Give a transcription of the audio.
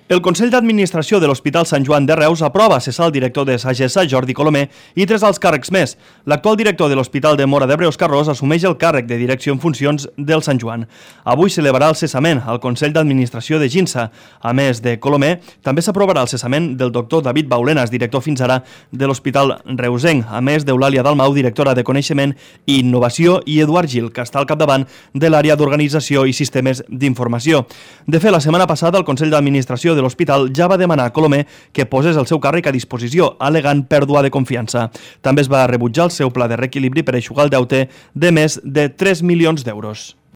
El Consell d'Administració de l'Hospital Sant Joan de Reus aprova cessar el director de Sagessa, Jordi Colomer, i 3 alts càrrecs més. L'actual director de l'Hospital de Móra d'Ebre, Òscar Ros, assumeix el càrrec de direcció en funcions del Sant Joan. Avui celebrarà el cessament al Consell d'Administració de Ginsa. A més de Colomer, també s'aprovarà el cessament del doctor David Baulenas, director fins ara de l'Hospital Reusenc, a més d'Eulàlia Dalmau, directora de Coneixement i Innovació, i Eduard Gil, que està al capdavant de l'àrea d'Organització i Sistemes d'Informació. De fet, la setmana passada, el Consell d'Administració de l'Hospital ja va demanar a Colomer que posés el seu càrrec a disposició, al·legant pèrdua de confiança. També es va rebutjar el seu pla de reequilibri per eixugar el deute de més de 3 milions d'euros.